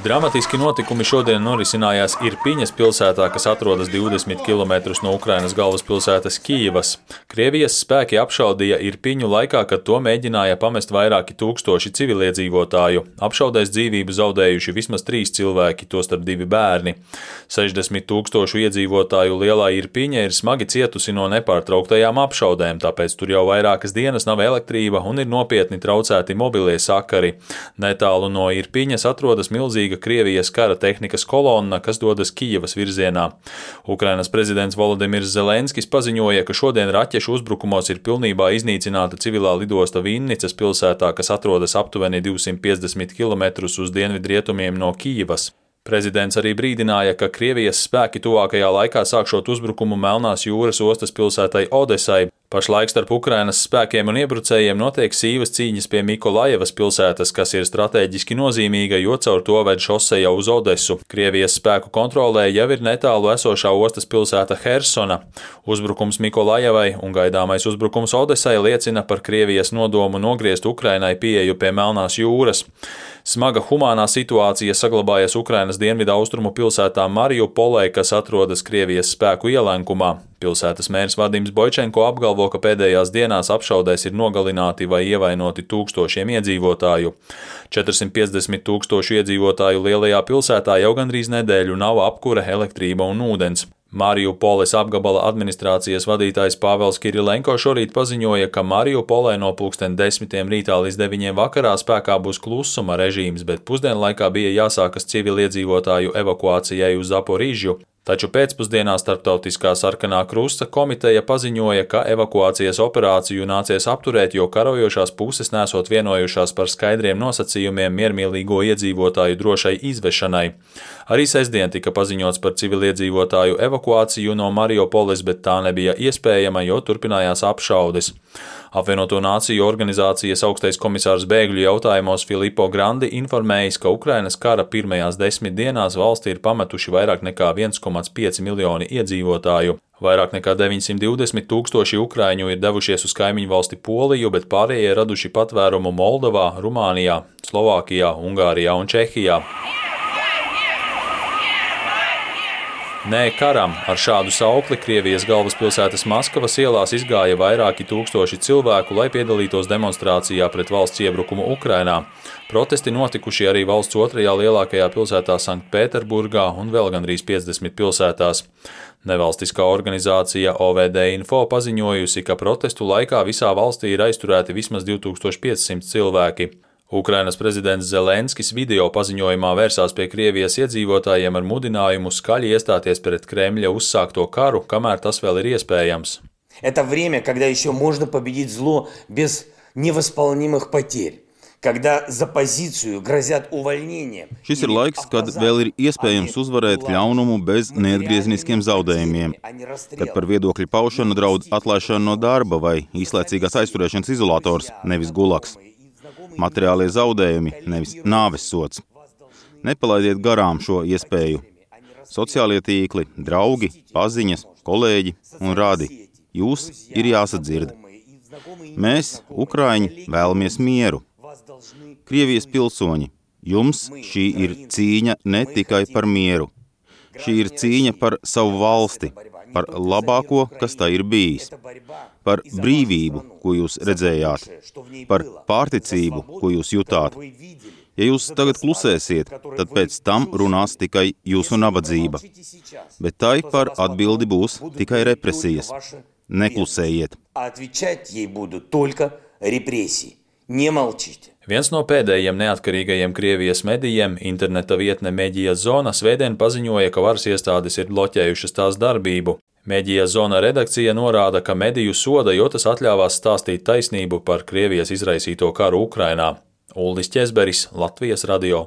Dramatiski notikumi šodien norisinājās Irpiņas pilsētā, kas atrodas 20 km no Ukrainas galvaspilsētas Kijivas. Krievijas spēki apšaudīja Irpiņu laikā, kad to mēģināja pamest vairāki tūkstoši civiliedzīvotāju. Apšaudēs dzīvību zaudējuši vismaz 3 cilvēki, tostarp 2 bērni. 60 000 iedzīvotāju lielā Irpiņa ir smagi cietusi no nepārtrauktajām apšaudēm, tāpēc tur jau vairākas dienas nav elektrība un ir nopietni traucēti mobilie sakari. Netālu no Irpiņas atrodas milzīga Krievijas kara tehnikas kolonna, kas dodas Kijivas virzienā. Ukrainas prezidents Volodimirs Zelenskis paziņoja, ka šodien raķešu uzbrukumos ir pilnībā iznīcināta civilā lidosta Vinnicas pilsētā, kas atrodas aptuveni 250 km uz dienvidrietumiem no Kijivas. Prezidents arī brīdināja, ka Krievijas spēki tuvākajā laikā sākšot uzbrukumu Melnās jūras ostas pilsētai Odesai. Pašlaik starp Ukrainas spēkiem un iebrucējiem notiek sīvas cīņas pie Mikolajevas pilsētas, kas ir strateģiski nozīmīga, jo caur to ved šoseja uz Odesu. Krievijas spēku kontrolē jau ir netālu esošā ostas pilsēta Hersona. Uzbrukums Mikolajevai un gaidāmais uzbrukums Odesai liecina par Krievijas nodomu nogriezt Ukrainai pieeju pie Melnās jūras. Smaga humānā situācija saglabājas Ukrainas dienvidaustrumu pilsētā Mariupolē, kas atrodas Krievijas spēku ielenkumā. Pilsētas mērs Vadims Boičenko apgalvo, ka pēdējās dienās apšaudēs ir nogalināti vai ievainoti tūkstošiem iedzīvotāju. 450 000 iedzīvotāju lielajā pilsētā jau gandrīz nedēļu nav apkure, elektrība un ūdens. Mariupoles apgabala administrācijas vadītājs Pāvels Kirilenko šorīt paziņoja, ka Mariupolē no 10:00 rītā līdz 9:00 vakarā spēkā būs klusuma režīms, bet pusdienlaikā bija jāsākas civiliedzīvotāju evakuācijai uz Zaporižju. Taču pēcpusdienā Starptautiskā sarkanā krusta komiteja paziņoja, ka evakuācijas operāciju nācies apturēt, jo karojošās puses nesot vienojušās par skaidriem nosacījumiem miermīlīgo iedzīvotāju drošai izvešanai. Arī sestdien tika paziņots par civiliedzīvotāju evakuāciju no Mariupoles, bet tā nebija iespējama, jo turpinājās apšaudes. Apvienoto Nāciju organizācijas augstais komisārs bēgļu jautājumos Filippo Grandi informējis, ka Ukrainas kara pirmajās 10 dienās valsti ir pametuši vairāk nekā 1,5 miljoni iedzīvotāju. Vairāk nekā 920 000 ukraiņu ir devušies uz kaimiņu valsti Poliju, bet pārējie raduši patvērumu Moldovā, Rumānijā, Slovākijā, Ungārijā un Čehijā. Nē karam! Ar šādu saukli Krievijas galvaspilsētas Maskavas ielās izgāja vairāki tūkstoši cilvēku, lai piedalītos demonstrācijā pret valsts iebrukumu Ukrainā. Protesti notikuši arī valsts otrajā lielākajā pilsētā Sanktpēterburgā un vēl gandrīz 50 pilsētās. Nevalstiskā organizācija OVD Info paziņojusi, ka protestu laikā visā valstī ir aizturēti vismaz 2500 cilvēki. Ukrainas prezidents Zelenskis video paziņojumā vērsās pie Krievijas iedzīvotājiem ar mudinājumu skaļi iestāties pret Kremļa uzsākto karu, kamēr tas vēl ir iespējams. Это время, когда еще можно победить зло без невосполнимых потерь. Когда за позицию грозят увольнением. Šis ir laiks, kad vēl ir iespējams uzvarēt ļaunumu bez neatgriezeniskiem zaudējumiem, kad par viedokļu paušanu draud atlaišana no darba vai īslaicīgās aizturēšanas izolators, nevis gulaks. Materiālie zaudējumi, nevis nāves sods. Nepalaidiet garām šo iespēju. Sociālie tīkli, draugi, paziņas, kolēģi un radi. Jūs ir jāsadzird. Mēs, ukraiņi, vēlamies mieru. Krievijas pilsoņi, jums šī ir cīņa ne tikai par mieru. Šī ir cīņa par savu valsti, par labāko, kas tā ir bijis, par brīvību, ko jūs redzējāt, par pārticību, ko jūs jutāt. Ja jūs tagad klusēsiet, tad pēc tam runās tikai jūsu nabadzība, bet tai par atbildi būs tikai represijas. Neklusējiet! Viens no pēdējiem neatkarīgajiem Krievijas medijiem, interneta vietne Medija Zona, svētdien paziņoja, ka varas iestādes ir bloķējušas tās darbību. Medija Zona redakcija norāda, ka mediju soda, jo tas atļāvās stāstīt taisnību par Krievijas izraisīto karu Ukrainā. Uldis Ķezberis, Latvijas radio.